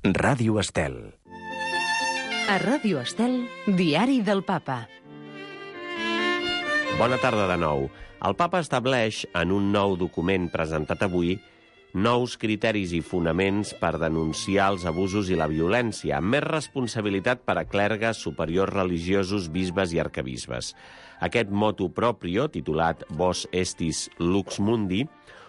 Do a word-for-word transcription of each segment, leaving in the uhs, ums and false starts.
Ràdio Estel. A Ràdio Estel, Diari del Papa. Bona tarda de nou. El Papa estableix, en un nou document presentat avui, nous criteris i fonaments per denunciar els abusos i la violència, amb més responsabilitat per a clergues, superiors religiosos, bisbes i arquebisbes. Aquest motu proprio, titulat Vos Estis Lux Mundi,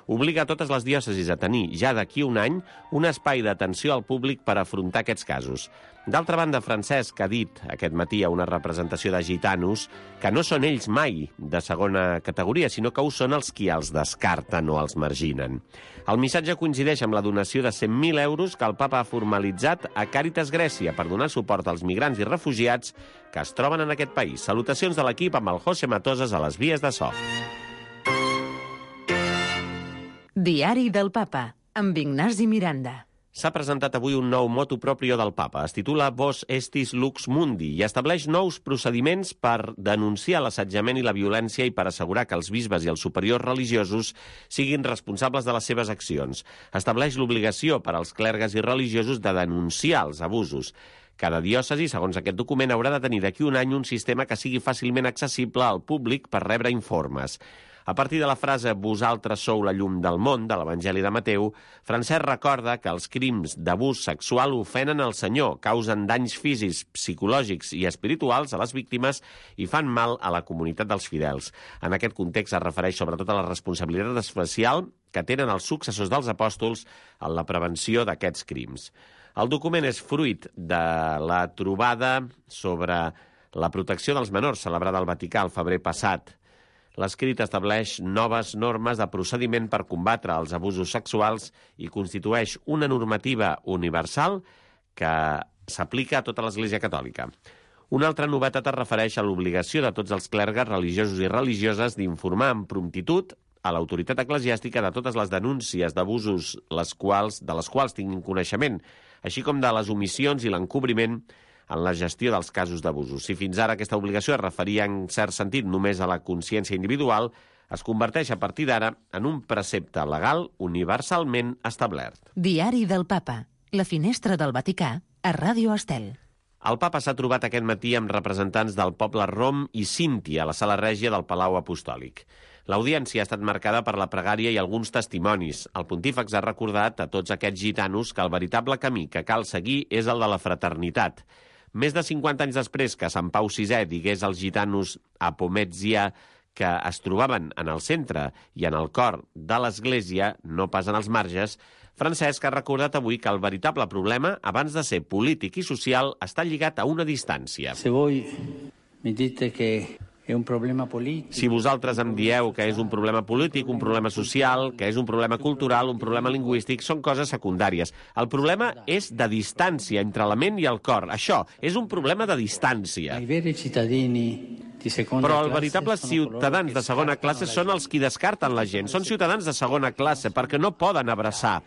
obliga a totes les diòcesis a tenir, ja d'aquí un any, un espai d'atenció al públic per afrontar aquests casos. D'altra banda, Francesc ha dit aquest matí a una representació de gitanos que no són ells mai de segona categoria, sinó que ho són els qui els descarten o els marginen. El missatge coincideix amb la donació de cent mil euros que el Papa ha formalitzat a Càritas Grècia per donar suport als migrants i refugiats que es troben en aquest país. Salutacions de l'equip amb el José Matoses a les vies de so. Diari del Papa, amb Ignasi Miranda. S'ha presentat avui un nou motu proprio del Papa. Es titula Vos Estis Lux Mundi i estableix nous procediments per denunciar l'assetjament i la violència i per assegurar que els bisbes i els superiors religiosos siguin responsables de les seves accions. Estableix l'obligació per als clergues i religiosos de denunciar els abusos. Cada diòcesi, segons aquest document, haurà de tenir d'aquí un any un sistema que sigui fàcilment accessible al públic per rebre informes. A partir de la frase «Vosaltres sou la llum del món» de l'Evangeli de Mateu, Francesc recorda que els crims d'abús sexual ofenen el Senyor, causen danys físics, psicològics i espirituals a les víctimes i fan mal a la comunitat dels fidels. En aquest context es refereix sobretot a la responsabilitat especial que tenen els successors dels apòstols en la prevenció d'aquests crims. El document és fruit de la trobada sobre la protecció dels menors celebrada al Vaticà el febrer passat. L'escrit estableix noves normes de procediment per combatre els abusos sexuals i constitueix una normativa universal que s'aplica a tota l'Església Catòlica. Una altra novetat es refereix a l'obligació de tots els clergues religiosos i religioses d'informar amb promptitud a l'autoritat eclesiàstica de totes les denúncies d'abusos les quals, de les quals tinguin coneixement, així com de les omissions i l'encobriment en la gestió dels casos d'abusos. Si fins ara aquesta obligació es referia en cert sentit només a la consciència individual, es converteix a partir d'ara en un precepte legal universalment establert. Diari del Papa, la finestra del Vaticà, a Ràdio Estel. El Papa s'ha trobat aquest matí amb representants del poble rom i sinti a la sala règia del Palau Apostòlic. L'audiència ha estat marcada per la pregària i alguns testimonis. El pontífex ha recordat a tots aquests gitanos que el veritable camí que cal seguir és el de la fraternitat. Més de cinquanta anys després que Sant Pau sisè digués als gitanos a Pomezia que es trobaven en el centre i en el cor de l'Església, no pas en els marges, Francesc ha recordat avui que el veritable problema, abans de ser polític i social, està lligat a una distància. Se voi mi dite que è un problema polític. Si vosaltres em dieu que és un problema polític, un problema social, que és un problema cultural, un problema lingüístic, són coses secundàries. El problema és de distància entre la ment i el cor. Això és un problema de distància. I veri cittadini di seconda Però els classe veritables sono ciutadans de segona classe són els qui descarten la gent. Són ciutadans de segona classe perquè no poden abraçar.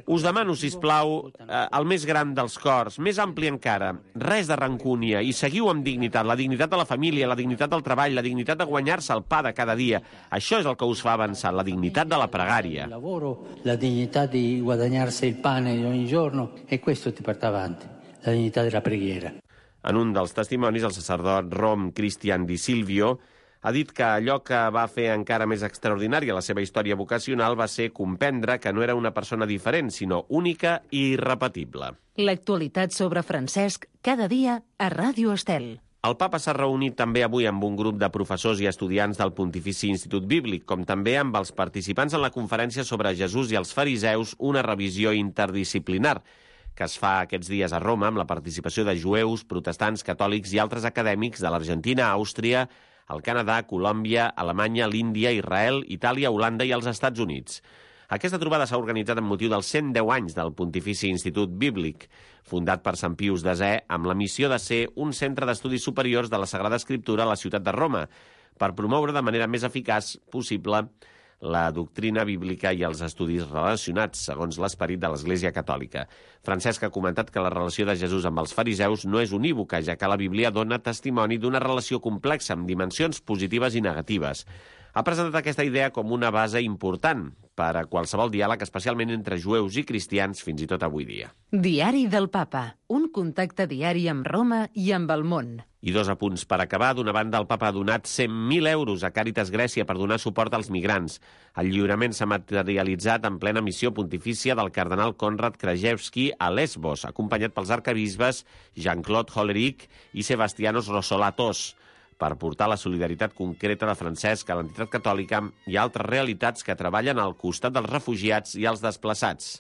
Us demano, sisplau, el més gran dels cors, més ampli encara, res de rancúnia, i seguiu amb dignitat, la dignitat de la família, la dignitat del treball, la dignitat de guanyar-se el pa de cada dia. Això és el que us fa avançar, la dignitat de la pregària. Il lavoro, la dignità di guadagnarsi il pane ogni giorno, e questo ti porta avanti, la dignità della preghiera. En un dels testimonis, el sacerdot rom Cristian Di Silvio ha dit que allò que va fer encara més extraordinària la seva història vocacional va ser comprendre que no era una persona diferent, sinó única i irrepetible. L'actualitat sobre Francesc, cada dia a Ràdio Estel. El Papa s'ha reunit també avui amb un grup de professors i estudiants del Pontifici Institut Bíblic, com també amb els participants en la conferència sobre Jesús i els fariseus, una revisió interdisciplinar, que es fa aquests dies a Roma amb la participació de jueus, protestants, catòlics i altres acadèmics de l'Argentina, Àustria, el Canadà, Colòmbia, Alemanya, l'Índia, Israel, Itàlia, Holanda i els Estats Units. Aquesta trobada s'ha organitzat amb motiu dels cent deu anys del Pontifici Institut Bíblic, fundat per Sant Pius desè amb la missió de ser un centre d'estudis superiors de la Sagrada Escriptura a la ciutat de Roma, per promoure de manera més eficaç possible la doctrina bíblica i els estudis relacionats, segons l'esperit de l'Església Catòlica. Francesc ha comentat que la relació de Jesús amb els fariseus no és unívoca, ja que la Bíblia dona testimoni d'una relació complexa amb dimensions positives i negatives. Ha presentat aquesta idea com una base important per a qualsevol diàleg, especialment entre jueus i cristians, fins i tot avui dia. Diari del Papa, un contacte diari amb Roma i amb el món. I dos apunts per acabar. D'una banda, el papa ha donat cent mil euros a Càritas Grècia per donar suport als migrants. El lliurament s'ha materialitzat en plena missió pontifícia del cardenal Konrad Krajewski a Lesbos, acompanyat pels arcabisbes Jean-Claude Hollerich i Sebastianos Rossolatos, per portar la solidaritat concreta de Francesc a l'entitat catòlica i altres realitats que treballen al costat dels refugiats i els desplaçats.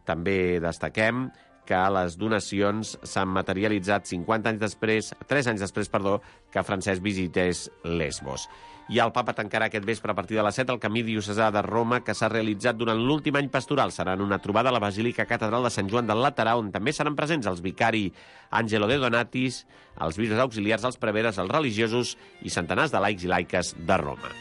També destaquem que les donacions s'han materialitzat cinquanta anys després, tres anys després, perdó, que Francesc visités Lesbos. I el papa tancarà aquest vespre a partir de les set el camí diocesà de Roma que s'ha realitzat durant l'últim any pastoral. Serà en una trobada a la Basílica Catedral de Sant Joan del Laterà, on també seran presents els vicari Angelo de Donatis, els bisbes auxiliars, els preveres, els religiosos i centenars de laics i laiques de Roma.